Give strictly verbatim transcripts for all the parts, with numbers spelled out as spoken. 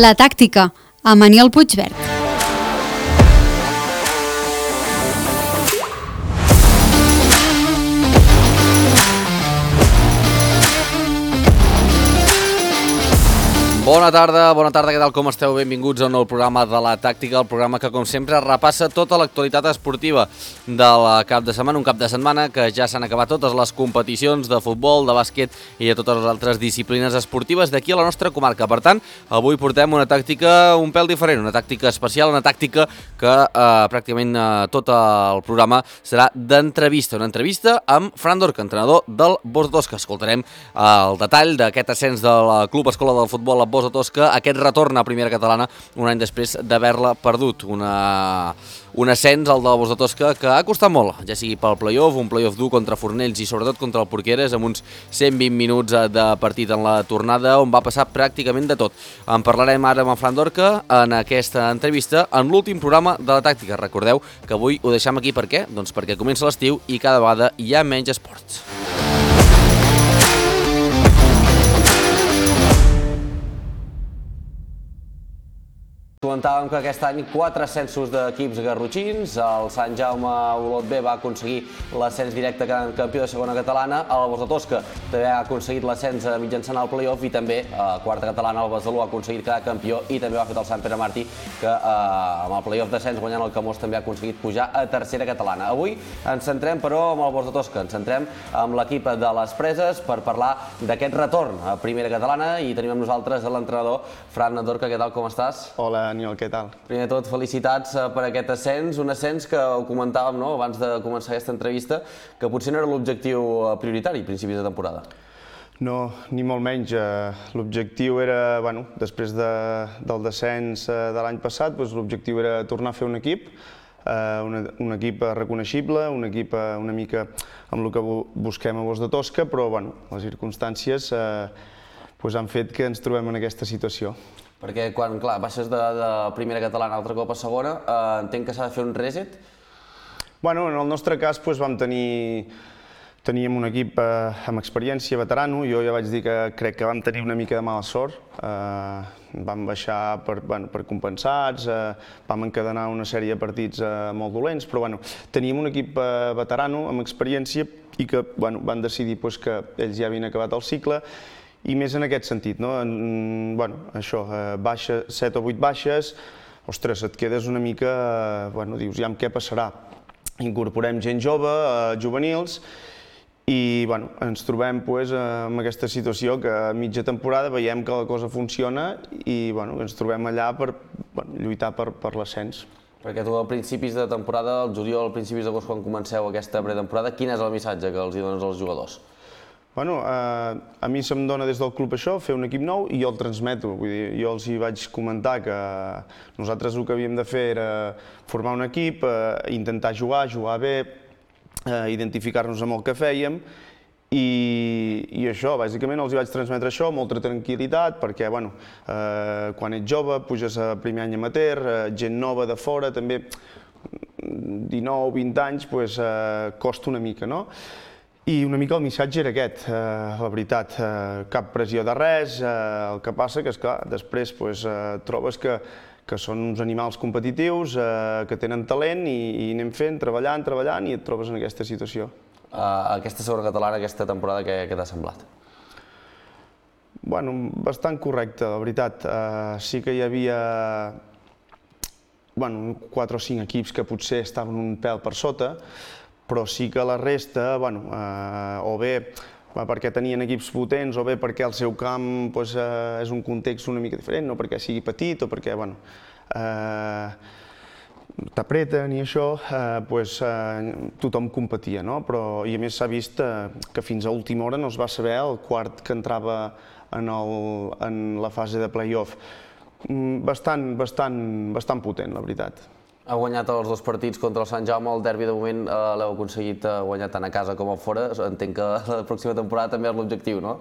La tàctica, amb Aniol Puigverd. Bona tarda, bona tarda, què tal, com esteu? Benvinguts a un nou programa de La Tàctica, el programa que, com sempre, repassa tota l'actualitat esportiva del cap de setmana, un cap de setmana que ja s'han acabat totes les competicions de futbol, de bàsquet i de totes les altres disciplines esportives d'aquí a la nostra comarca. Per tant, avui portem una tàctica un pèl diferent, una tàctica especial, una tàctica que eh, pràcticament eh, tot el programa serà d'entrevista, una entrevista amb Fran Dorca, entrenador del Bos de Tosca. Escoltarem eh, el detall d'aquest ascens del Club Escola del Futbol a Bos de Tosca, aquest retorn a Primera Catalana un any després d'haver-la perdut. Una, un ascens, el del Bos de Tosca, que ha costat molt, ja sigui pel play-off, un play-off dur contra Fornells i sobretot contra el Porqueres, amb uns cent vint minuts de partit en la tornada, on va passar pràcticament de tot. En parlarem ara amb en Fran Dorca en aquesta entrevista, en l'últim programa de La Tàctica. Recordeu que avui ho deixem aquí, per què? Doncs perquè comença l'estiu i cada vegada hi ha menys esports. Comentàvem que aquest any quatre ascensos d'equips garrotxins, el Sant Jaume Olot B va aconseguir l'ascens directe quedant campió de segona catalana, el Bos de Tosca també ha aconseguit l'ascens mitjançant el play-off i també a quarta catalana el Besalú ha aconseguit quedar campió i també ho ha fet el Sant Pere Martí, que eh, amb el play-off d'ascens guanyant el Camós també ha aconseguit pujar a tercera catalana. Avui ens centrem però amb el Bos de Tosca, ens centrem amb l'equip de les Preses per parlar d'aquest retorn a Primera Catalana i tenim amb nosaltres l'entrenador Fran Dorca. Què tal, com estàs? Hola, Aniol, què tal? Primer de tot, felicitats per aquest ascens, un ascens que ho comentàvem, no?, abans de començar aquesta entrevista, que potser no era l'objectiu prioritari a principis de temporada. No, ni molt menys. L'objectiu era, bueno, després de, del descens de l'any passat, doncs l'objectiu era tornar a fer un equip, un, un equip reconeixible, un equip una mica amb el que busquem a Bos de Tosca, però bueno, les circumstàncies eh, doncs han fet que ens trobem en aquesta situació. Perquè quan, clar, baixes de, de Primera Catalana altre cop a segona, eh, entenc que s'ha de fer un reset? Bueno, en el nostre cas doncs, vam tenir, teníem un equip eh, amb experiència, veterano. Jo ja vaig dir que crec que vam tenir una mica de mala sort. Eh, vam baixar per, bueno, per compensats, eh, vam encadenar una sèrie de partits eh, molt dolents, però bueno, teníem un equip eh, veterano amb experiència i que bueno, van decidir pues, que ells ja havien acabat el cicle. I més en aquest sentit, no? En, bueno, això, eh, baixa, set o vuit baixes, ostres, et quedes una mica, eh, bueno, dius, ja amb què passarà? Incorporem gent jove, eh, juvenils, i bueno, ens trobem pues, en aquesta situació que a mitja temporada veiem que la cosa funciona i bueno, ens trobem allà per bueno, lluitar per, per l'ascens. Perquè tu a principis de temporada, al juliol, a principis d'agost, quan comenceu aquesta pretemporada, quin és el missatge que els hi dones als jugadors? Bueno, eh, a mi se'm dona des del club això, fer un equip nou, i jo el transmeto. Vull dir, jo els hi vaig comentar que nosaltres el que havíem de fer era formar un equip, eh, intentar jugar, jugar bé, eh, identificar-nos amb el que fèiem, i, i això, bàsicament els hi vaig transmetre això, molta tranquil·litat, perquè bueno, eh, quan ets jove, puges a primer any amateur, eh, gent nova de fora, també dinou vint anys, pues, eh, costa una mica, no? I una mica el missatge era aquest, eh, la veritat, eh, cap pressió de res, eh, el que passa que, esclar, després pues, eh, trobes que, que són uns animals competitius, eh, que tenen talent i, i anem fent, treballant, treballant i et trobes en aquesta situació. Uh, aquesta segona catalana, aquesta temporada, què, què t'ha semblat? Bueno, bastant correcte, la veritat. Eh, sí que hi havia bueno, quatre o cinc equips que potser estaven un pèl per sota, però sí que la resta, bueno, eh, o bé perquè tenien equips potents, o bé perquè el seu camp pues, eh, és un context una mica diferent, no perquè sigui petit o perquè bueno, eh, t'apreten i això, eh, pues, eh, tothom competia, no? Però, i a més s'ha vist eh, que fins a última hora no es va saber el quart que entrava en, el, en la fase de play-off. Bastant, bastant, bastant potent, la veritat. Ha guanyat els dos partits contra el Sant Jaume, el derbi de moment eh, l'heu aconseguit guanyar tant a casa com a fora. Entenc que la pròxima temporada també és l'objectiu, no?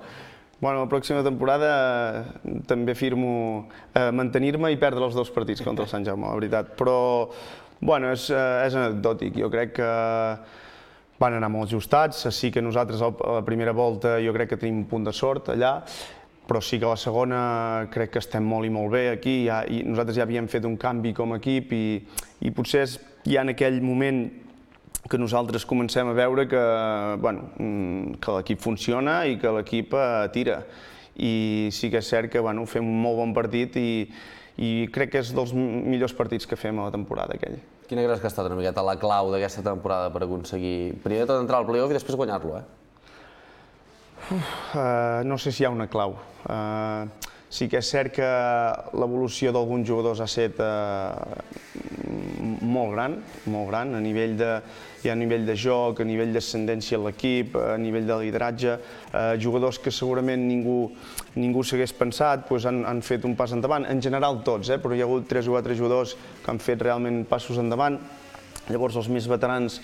Bueno, la pròxima temporada eh, també firmo eh, mantenir-me i perdre els dos partits contra el Sant Jaume, la veritat. Però, bueno, és, eh, és anecdòtic. Jo crec que van anar molt ajustats. Sí que nosaltres a la primera volta jo crec que tenim un punt de sort allà. però sí que a la segona crec que estem molt i molt bé aquí, ja, i nosaltres ja havíem fet un canvi com a equip i, i potser és ja en aquell moment que nosaltres comencem a veure que, bueno, que l'equip funciona i que l'equip tira. I sí que és cert que bueno, fem un molt bon partit i, i crec que és dels millors partits que fem a la temporada aquell. Quina creus que ha estat una miqueta la clau d'aquesta temporada per aconseguir primer de tot entrar al play-off i després guanyar-lo, eh? Uf, uh, no sé si hi ha una clau. Uh, sí que és cert que l'evolució d'alguns jugadors ha estat uh, molt gran, molt gran, a nivell de, ja a nivell de joc, a nivell d'ascendència a l'equip, a nivell de lideratge. Uh, jugadors que segurament ningú, ningú s'hagués pensat doncs han, han fet un pas endavant, en general tots, eh, però hi ha hagut tres o quatre jugadors que han fet realment passos endavant. Llavors els més veterans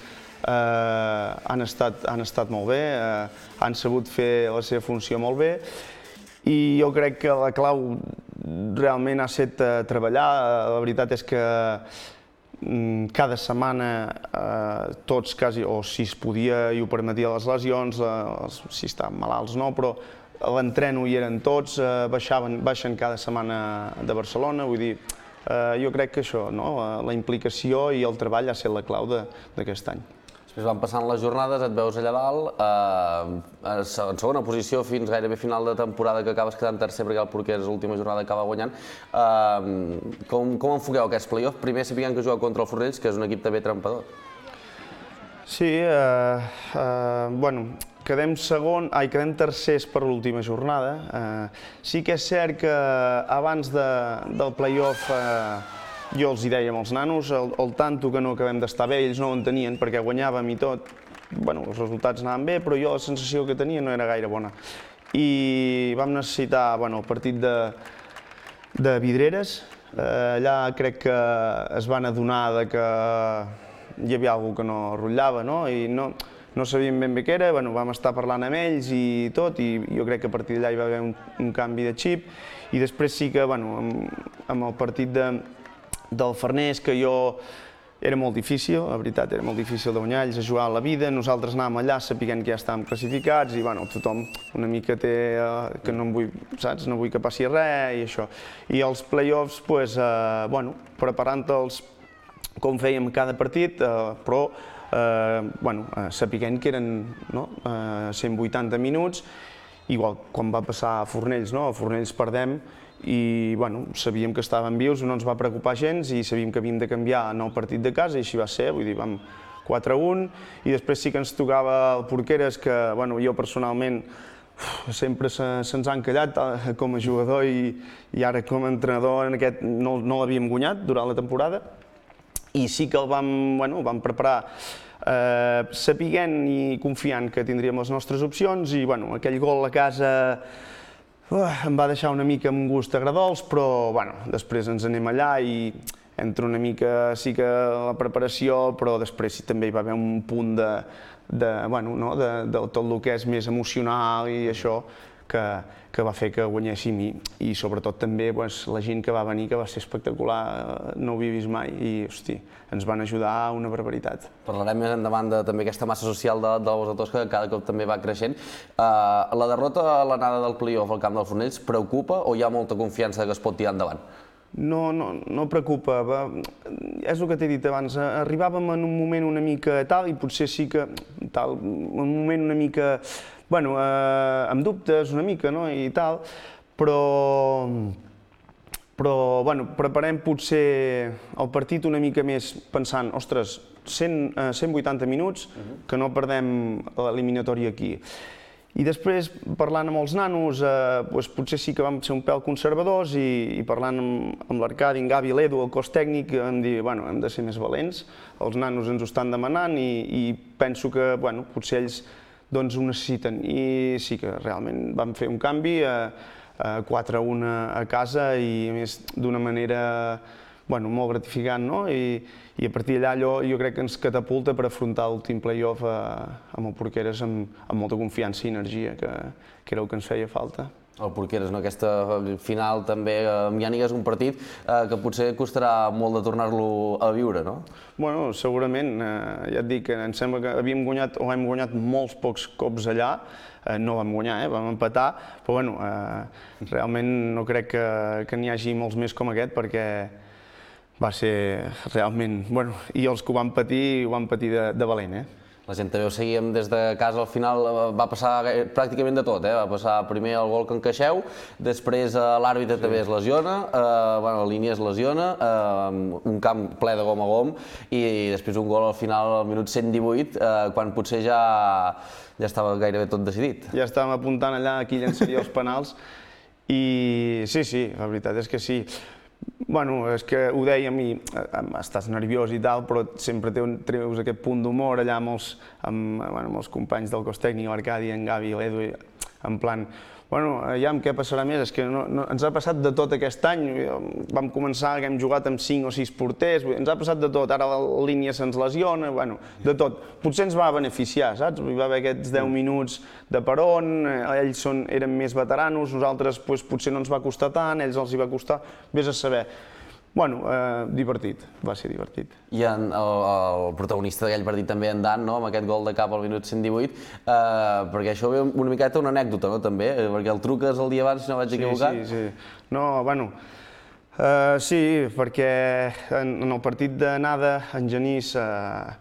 eh, han, estat, han estat molt bé, eh, han sabut fer la seva funció molt bé i jo crec que la clau realment ha estat eh, treballar. La veritat és que mm, cada setmana eh, tots quasi, o si es podia i ho permetia les lesions, eh, si estaven malalts no, però l'entreno hi eren tots, eh, baixaven, baixen cada setmana de Barcelona, vull dir, Uh, jo crec que això, no? La implicació i el treball ha estat la clau d'aquest any. Després van passant les jornades, et veus allà dalt, eh, en segona posició fins gairebé final de temporada que acabes quedant tercer perquè el Porqueres l'última jornada acaba guanyant. Eh, com, com enfoqueu aquests play-offs? Primer sapiguem que jugueu contra el Fornells, que és un equip també trampador. Sí, eh, eh, bueno, quedem segon, ai, quedem tercers per l'última jornada. Eh, sí que és cert que abans de, del play-off eh, jo els hi deia als nanos, el, el tanto que no acabem d'estar bé, ells no ho entenien perquè guanyàvem i tot. Bueno, els resultats anaven bé, però jo la sensació que tenia no era gaire bona. I vam necessitar, bueno, el partit de, de Vidreres. Eh, allà crec que es van adonar de que hi havia alguna cosa que no rotllava, no? I no, no sabíem ben bé què era, bueno, vam estar parlant amb ells i tot, i jo crec que a partir d'allà hi va haver un, un canvi de xip, i després sí que, bueno, amb, amb el partit de, del Farners, que jo era molt difícil, la veritat, era molt difícil de guanyar, ells a jugar a la vida, nosaltres anàvem allà sapiguent que ja estàvem classificats, i bueno, tothom una mica té, eh, que no em vull, saps, no vull que passi res, i això. I els play-offs, pues, eh, bueno, preparant-los com fèiem cada partit, eh, però eh, bueno, eh, sapiguent que eren no, eh, cent vuitanta minuts, igual quan va passar a Fornells, no? A Fornells perdem i bueno, sabíem que estàvem vius, no ens va preocupar gens i sabíem que havíem de canviar en el partit de casa i així va ser, vull dir, vam quatre a un i després sí que ens tocava el Porqueres, que bueno, jo personalment uf, sempre se'ns se ha encallat eh, com a jugador i, i ara com a entrenador en aquest no, no l'havíem guanyat durant la temporada. I sí que el vam, bueno, vam preparar eh, sapiguent i confiant que tindríem les nostres opcions i bueno, aquell gol a casa uh, em va deixar una mica amb un gust agradols, però bueno, després ens anem allà i entra una mica sí que la preparació, però després sí, també hi va haver un punt de, de, bueno, no, de, de tot el que és més emocional i això, que, que va fer que guanyéssim i, i sobretot també pues, la gent que va venir, que va ser espectacular, no ho havia vist mai i hosti, ens van ajudar a una barbaritat. Parlarem més endavant de també aquesta massa social de, dels autors que cada cop també va creixent. Uh, la derrota a l'anada del play-off al camp del Fornells preocupa o hi ha molta confiança que es pot tirar endavant? No, no, no preocupa. És el que t'he dit abans, arribàvem en un moment una mica tal i potser sí que tal, un moment una mica bueno, eh, amb dubtes una mica, no?, i tal, però, però bueno, preparem potser el partit una mica més pensant, ostres, cent, eh, cent vuitanta minuts, que no perdem l'eliminatòria aquí. I després, parlant amb els nanos, eh, doncs potser sí que vam ser un pèl conservadors i, i parlant amb, amb l'Arcadi, en Gavi, l'Edu, el cos tècnic, vam dir, bueno, hem de ser més valents, els nanos ens ho estan demanant i, i penso que, bueno, potser ells doncs ho necessiten i sí que realment vam fer un canvi a, a quatre a un a casa i a més d'una manera bueno, molt gratificant, no? I, i a partir d'allà allò jo crec que ens catapulta per afrontar l'últim play-off amb el Porqueres amb, amb molta confiança i energia, que, que era el que ens feia falta. El Porqueres, no? Aquesta final també amb Iànic és un partit eh, que potser costarà molt de tornar-lo a viure, no? Bueno, segurament, eh, ja et dic, em sembla que havíem guanyat o hem guanyat molts pocs cops allà, eh, no vam guanyar, eh, vam empatar, però bueno, eh, realment no crec que, que n'hi hagi molts més com aquest perquè va ser realment, bueno, i els que ho van patir, ho van patir de, de valent, eh? La gent també ho seguíem des de casa, al final va passar pràcticament de tot, eh? Va passar primer el gol que encaixeu, després l'àrbitre també es lesiona, eh, bueno, la línia es lesiona, eh, un camp ple de gom a gom i després un gol al final al minut cent divuit, eh, quan potser ja, ja estava gairebé tot decidit. Ja estàvem apuntant allà qui llançaria els penals i sí, sí, la veritat és que sí. Bueno, és que ho dèiem i estàs nerviós i tal, però sempre treus aquest punt d'humor allà amb els, amb, bueno, amb els companys del cos tècnic, l'Arcadi, en Gavi i l'Edu, en plan, bueno, aviam què passarà més, és que no, no, ens ha passat de tot aquest any, vam començar que hem jugat amb cinc o sis porters, ens ha passat de tot, ara la línia se'ns lesiona, bueno, de tot. Potser ens va beneficiar, saps? Hi va haver aquests deu minuts de peron, ells són, eren més veteranos, nosaltres pues, potser no ens va costar tant, ells els hi va costar, vés a saber. Bueno, eh, divertit, va ser divertit. I en, el, el protagonista d'aquell partit també, en Dan, no? Amb aquest gol de cap al minut cent divuit, eh, perquè això ve una miqueta una anècdota, no? També, eh, perquè el truques el dia abans, si no vaig equivocat. Sí, sí, sí. No, bueno, eh, sí, perquè en, en el partit d'anada, en Genís eh,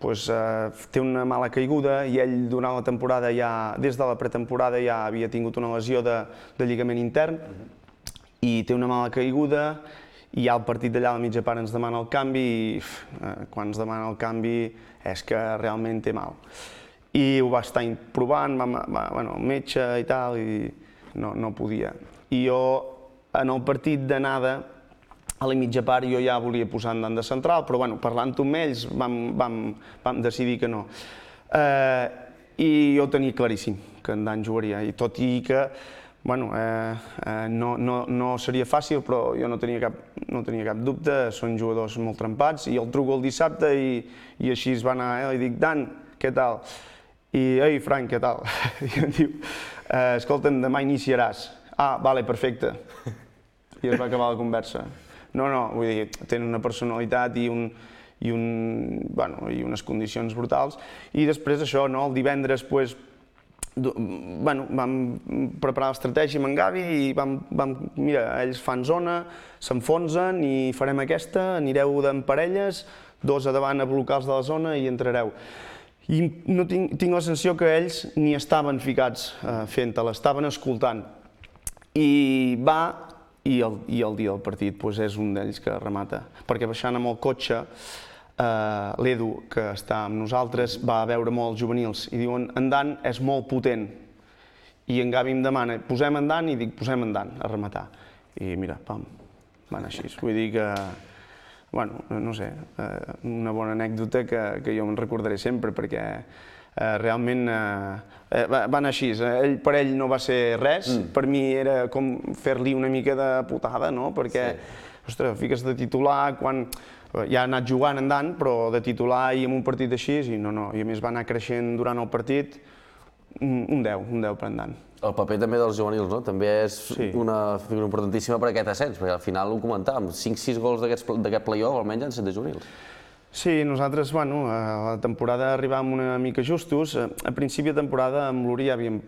pues, eh, té una mala caiguda i ell durant la temporada ja, des de la pretemporada ja havia tingut una lesió de, de lligament intern i té una mala caiguda. I ja el partit d'allà a la mitja part ens demana el canvi i eh, quan ens demana el canvi és que realment té mal. I ho va estar provant, va, va, bueno, el metge i tal, i no, no podia. I jo, en el partit d'anada, a la mitja part jo ja volia posar en Dan de central, però bueno, parlant amb ells vam, vam, vam decidir que no. Eh, I jo tenia claríssim que en Dan jugaria, i tot i que bueno, eh, eh, no, no, no seria fàcil, però jo no tenia cap, no tenia cap dubte, són jugadors molt trempats, i el truco el dissabte i, i així es va anar, eh, i dic, Dan, què tal? I, ei, Frank, què tal? I em diu, eh, escolta'm, demà iniciaràs. Ah, vale, perfecte. I es va acabar la conversa. No, no, vull dir, tenen una personalitat i un, i, un, bueno, i unes condicions brutals. I després això, no, el divendres, pues, bueno, vam preparar l'estratègia amb en Gavi i vam, vam, mira, ells fan zona, s'enfonsen i farem aquesta, anireu en parelles, dos a davant a blocar els de la zona i entrareu. I no tinc, tinc la sensació que ells ni estaven ficats eh, fent-te, l'estaven escoltant. I va, i el, i el dia del partit pues, és un d'ells que remata, perquè baixant amb el cotxe, Uh, l'Edu, que està amb nosaltres, va a veure molt els juvenils i diuen en Dan és molt potent i en Gavi em demana posem en Dan i dic posem en Dan a rematar i mira, pam, van així. Vull dir que, bueno, no sé, uh, una bona anècdota que, que jo me'n recordaré sempre perquè uh, realment uh, van així. Ell, per ell no va ser res, mm. per mi era com fer-li una mica de putada, no? Perquè, sí. Ostres, fiques de titular quan ja ha anat jugant en Dan, però de titular i en un partit així, i no, no, i a més va anar creixent durant el partit, un deu, un deu per en Dan. El paper també dels juvenils, no? També és sí. una figura importantíssima per aquest ascens, perquè al final ho comentàvem, cinc sis gols d'aquest play-off almenys han set de juvenils. Sí, nosaltres, bueno, a la temporada arribàvem una mica justos. A principi de temporada amb l'Uri ja havíem...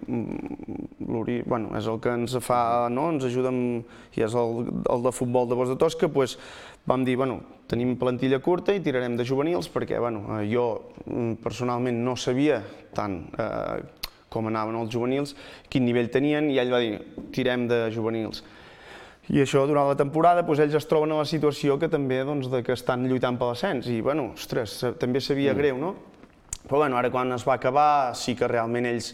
L'Uri, bueno, és el que ens fa, no?, ens ajuda amb... i és el, el de futbol de Bos de Tosca, doncs vam dir, bueno, tenim plantilla curta i tirarem de juvenils, perquè, bueno, jo personalment no sabia tant eh, com anaven els juvenils, quin nivell tenien, i ell va dir, tirem de juvenils. I això, durant la temporada, doncs, ells es troben a la situació que també doncs, de que estan lluitant per l'ascens i, bueno, ostres, també sabia mm. greu, no? Però, bueno, ara quan es va acabar, sí que realment ells,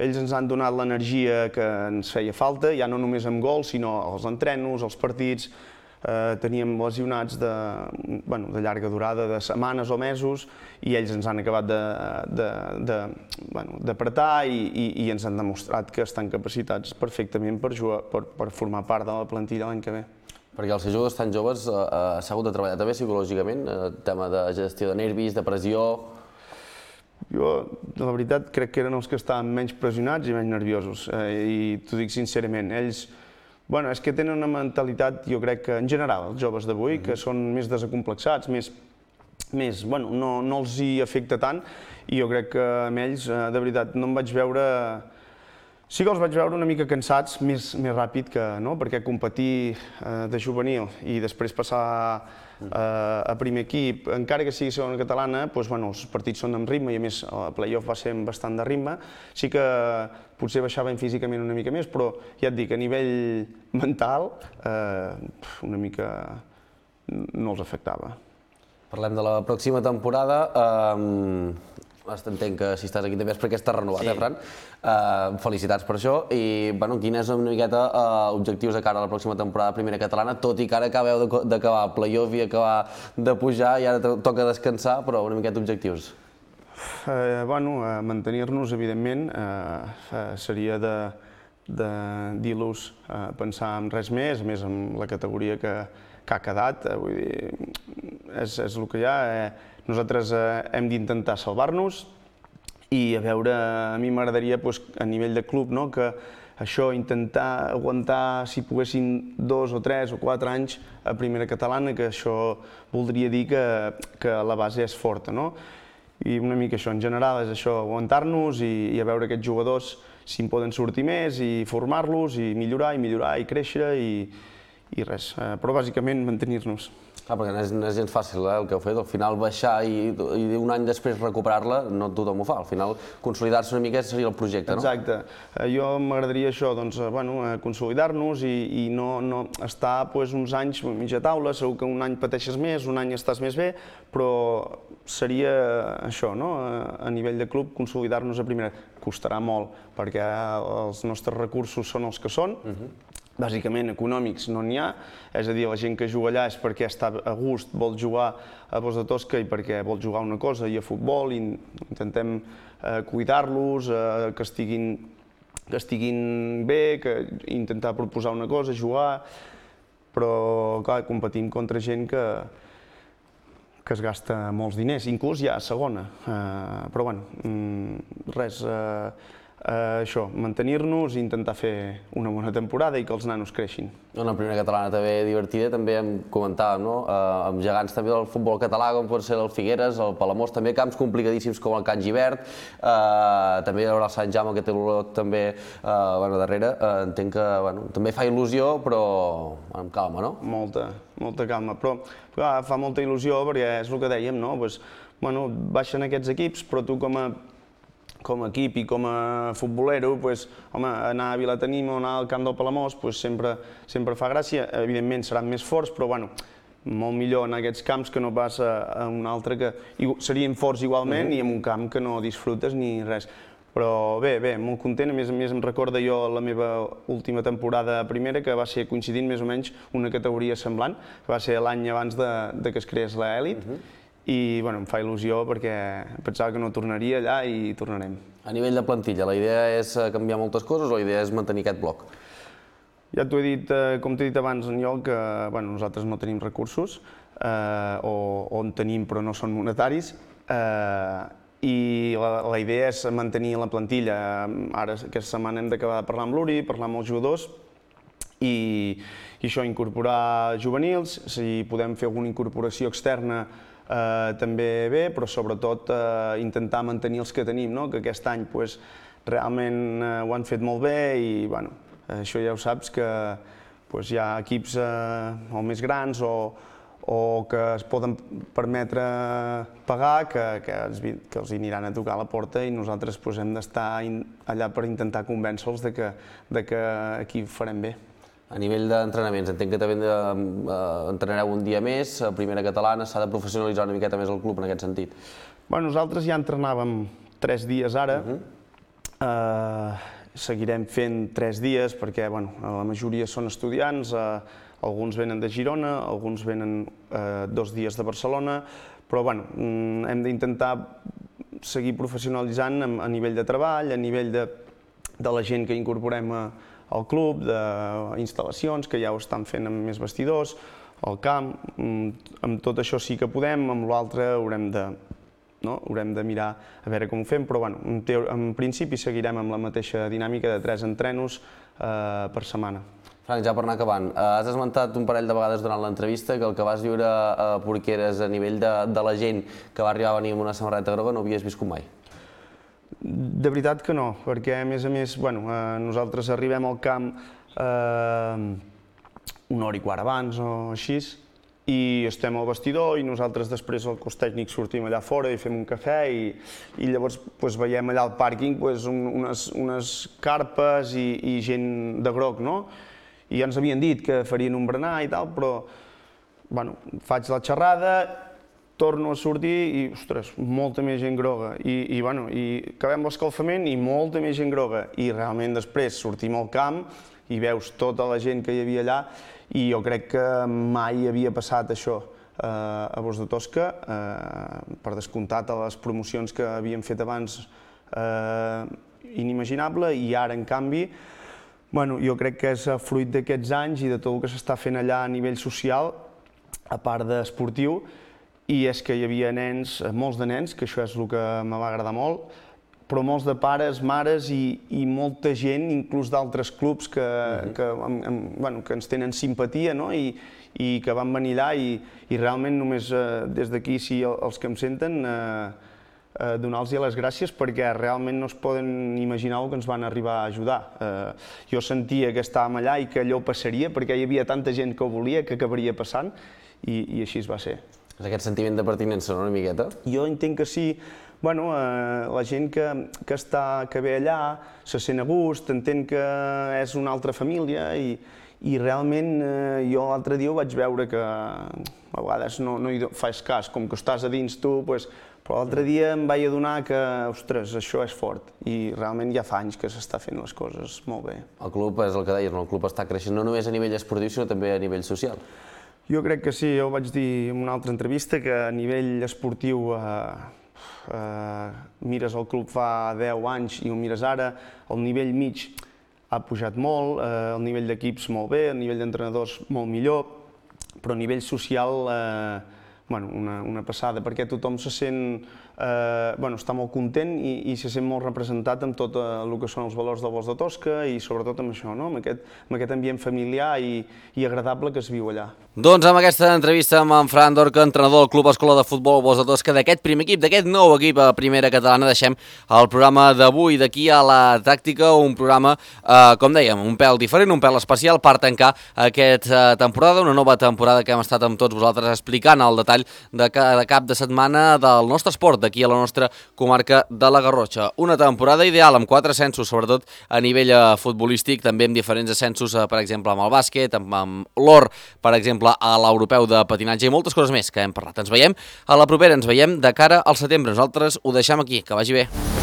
ells ens han donat l'energia que ens feia falta, ja no només amb gols, sinó als entrenos, als partits, eh, teníem lesionats de, bueno, de llarga durada, de setmanes o mesos, i ells ens han acabat de, de, de, bueno, d'apretar i, i, i ens han demostrat que estan capacitats perfectament per, jugar, per, per formar part de la plantilla l'any que ve. Perquè els jugadors tan joves eh, s'ha hagut de treballar també psicològicament, eh, tema de gestió de nervis, de pressió... Jo, la veritat, crec que eren els que estaven menys pressionats i menys nerviosos, i t'ho dic sincerament. Ells, bueno, és que tenen una mentalitat, jo crec que en general, els joves d'avui, que són més desacomplexats, més, més, bueno, no, no els hi afecta tant, i jo crec que amb ells, de veritat, no em vaig veure... Sí que els vaig veure una mica cansats, més, més ràpid que, no? Perquè competir eh, de juvenil i després passar eh, a primer equip, encara que sigui segona catalana, doncs, bueno, els partits són amb ritme i a més el play-off va ser bastant de ritme. Sí que potser baixaven físicament una mica més, però ja et dic, a nivell mental eh, una mica no els afectava. Parlem de la pròxima temporada. Eh, Entenc que si estàs aquí també és perquè estàs renovat, sí. eh, Fran? Uh, felicitats per això. I, bueno, quines una miqueta uh, objectius de cara a la pròxima temporada de Primera Catalana, tot i que ara acabeu d'acabar play-off i acabar de pujar i ara toca descansar, però una miqueta objectius? Uh, bueno, uh, mantenir-nos, evidentment, uh, uh, seria de, de dir-los uh, pensar en res més, més en la categoria que, que ha quedat. Uh, vull dir, és, és el que hi ha. Uh, Nosaltres eh, hem d'intentar salvar-nos i a veure, a mi m'agradaria pues, a nivell de club no, que això, intentar aguantar, si poguessin, dos o tres o quatre anys a Primera Catalana, que això voldria dir que, que la base és forta. No? I una mica això, en general, és això, aguantar-nos i, i a veure aquests jugadors si en poden sortir més i formar-los i millorar i millorar i créixer i, i res. Eh, però bàsicament mantenir-nos. Clar, perquè no és, no és gens fàcil eh, el que heu fet, al final baixar i, i un any després recuperar-la, no tothom ho fa, al final consolidar-se una mica seria el projecte, no? Exacte. Jo m'agradaria això, doncs, bueno, consolidar-nos i, i no, no estar pues, uns anys mitja taula, segur que un any pateixes més, un any estàs més bé, però seria això, no? A nivell de club, consolidar-nos a primera. Costarà molt, perquè els nostres recursos són els que són, uh-huh. Bàsicament econòmics no n'hi ha, és a dir, la gent que juga allà és perquè està a gust, vol jugar a Bos de Tosca i perquè vol jugar una cosa i a futbol, i intentem eh, cuidar-los, eh, que, estiguin, que estiguin bé, que intentar proposar una cosa, jugar, però clar, competim contra gent que, que es gasta molts diners, inclús ja a segona, eh, però bueno, res... Eh, Uh, això, mantenir-nos i intentar fer una bona temporada i que els nanos creixin. Una Primera Catalana també divertida, també em comentàvem, no? Uh, amb gegants també del futbol català, com pot ser el Figueres, el Palamós, també camps complicadíssims com el Can Givert, uh, també hi haurà el Sant Jaume, que té l'Olot també uh, bueno, darrere. Uh, entenc que bueno, també fa il·lusió, però amb calma, no? Molta, molta calma, però clar, fa molta il·lusió perquè és el que dèiem, no? Pues, bueno, baixen aquests equips, però tu com a com a equip i com a futbolero, pues, home, anar a Vilatenim o anar al camp del Palamós pues, sempre, sempre fa gràcia. Evidentment seran més forts, però bueno, molt millor en aquests camps que no pas a, a un altre que serien forts igualment uh-huh. i en un camp que no disfrutes ni res. Però bé, bé, molt content. A més a més em recorda jo la meva última temporada a primera, que va ser coincidint més o menys una categoria semblant, que va ser l'any abans de, de que es creés l'elit. Uh-huh. I bueno, em fa il·lusió perquè pensava que no tornaria allà i tornarem. A nivell de plantilla, la idea és canviar moltes coses o la idea és mantenir aquest bloc? Ja t'ho he dit, com t'he dit abans, en lloc que bueno, nosaltres no tenim recursos, eh, o, o en tenim però no són monetaris, eh, i la, la idea és mantenir la plantilla. Ara, aquesta setmana hem d'acabar de parlar amb l'Uri, parlar amb els jugadors, i, i això, incorporar juvenils, si podem fer alguna incorporació externa, Uh, també bé, però sobretot uh, intentar mantenir els que tenim, no? Que aquest any pues, realment uh, ho han fet molt bé i bueno, això ja ho saps que pues, hi ha equips uh, o més grans o, o que es poden permetre pagar que, que, els, que els aniran a tocar a la porta i nosaltres pues, hem d'estar allà per intentar convèncer-los de que, de que aquí ho farem bé. A nivell d'entrenaments, entenc que també entrenareu un dia més, a Primera Catalana, s'ha de professionalitzar una miqueta més el club en aquest sentit. Bueno, nosaltres ja entrenàvem tres dies ara, uh-huh. uh, seguirem fent tres dies perquè bueno, la majoria són estudiants, uh, alguns venen de Girona, alguns venen uh, dos dies de Barcelona, però bueno, hem d'intentar seguir professionalitzant a, a nivell de treball, a nivell de, de la gent que incorporem a al club, d'instal·lacions, que ja ho estan fent amb més vestidors, al camp, amb tot això sí que podem, amb l'altre haurem de, no? Haurem de mirar a veure com ho fem, però bueno, en, teo, en principi seguirem amb la mateixa dinàmica de tres entrenos eh, per setmana. Frank, ja per anar acabant, has esmentat un parell de vegades durant l'entrevista que el que vas viure a Porqueres a nivell de, de la gent que va arribar a venir amb una samarreta groga no havies viscut mai. De veritat que no, perquè a més a més, bueno, eh, nosaltres arribem al camp eh, una hora i quart abans o així, i estem al vestidor i nosaltres després al cos tècnic sortim allà fora i fem un cafè i, i llavors pues, veiem allà al pàrquing pues, un, unes, unes carpes i, i gent de groc, no? I ja ens havien dit que farien un berenar i tal, però bueno, faig la xerrada, torno a sortir i, ostres, molta més gent groga. I, i, bueno, i acabem l'escalfament i molta més gent groga. I realment després sortim al camp i veus tota la gent que hi havia allà i jo crec que mai havia passat això eh, a Bosc de Tosca, eh, per descomptat a les promocions que havíem fet abans eh, inimaginable, i ara en canvi bueno, jo crec que és fruit d'aquests anys i de tot el que s'està fent allà a nivell social, a part d'esportiu, i és que hi havia nens, molts de nens, que això és el que me va agradar molt, però molts de pares, mares i, i molta gent, inclús d'altres clubs que, uh-huh. que, amb, bueno, que ens tenen simpatia, no? I, i que van venir allà i, i realment només eh, des d'aquí, si els que em senten, eh, eh, donar-los les gràcies perquè realment no es poden imaginar el que ens van arribar a ajudar. Eh, jo sentia que estàvem allà i que allò passaria perquè hi havia tanta gent que ho volia que acabaria passant i, i així es va ser. És aquest sentiment de pertinença, no, una miqueta? Jo entenc que sí. Bueno, eh, la gent que, que, està, que ve allà se sent a gust, entén que és una altra família i, i realment eh, jo l'altre dia ho vaig veure que a vegades no, no hi fas cas, com que estàs a dins tu, pues, però l'altre dia em vaig adonar que, ostres, això és fort i realment ja fa anys que s'està fent les coses molt bé. El club, és el que deies, no? El club està creixent no només a nivell esportiu, sinó també a nivell social. Jo crec que sí, jo ho vaig dir en una altra entrevista, que a nivell esportiu eh, Uh, mires el club fa deu anys i ho mires ara, el nivell mig ha pujat molt, uh, el nivell d'equips molt bé, el nivell d'entrenadors molt millor, però a nivell social uh, bueno, una, una passada, perquè tothom se sent, eh, bueno, està molt content i, i se sent molt representat amb tot el que són els valors del Bosc de Tosca i sobretot amb això, no? amb, aquest, amb aquest ambient familiar i, i agradable que es viu allà. Doncs amb aquesta entrevista amb en Fran Dorca, entrenador del Club Escola de Futbol Bosc de Tosca, d'aquest primer equip, d'aquest nou equip a Primera Catalana, deixem el programa d'avui d'aquí a la tàctica, un programa, eh, com dèiem, un pèl diferent, un pèl especial per tancar aquesta temporada, una nova temporada que hem estat amb tots vosaltres explicant el detall de cada cap de setmana del nostre esport d'aquí a la nostra comarca de la Garrotxa. Una temporada ideal amb quatre ascensos, sobretot a nivell futbolístic, també amb diferents ascensos, per exemple, amb el bàsquet, amb, amb l'or, per exemple, a l'europeu de patinatge i moltes coses més que hem parlat. Ens veiem a la propera, ens veiem de cara al setembre. Nosaltres ho deixem aquí. Que vagi bé.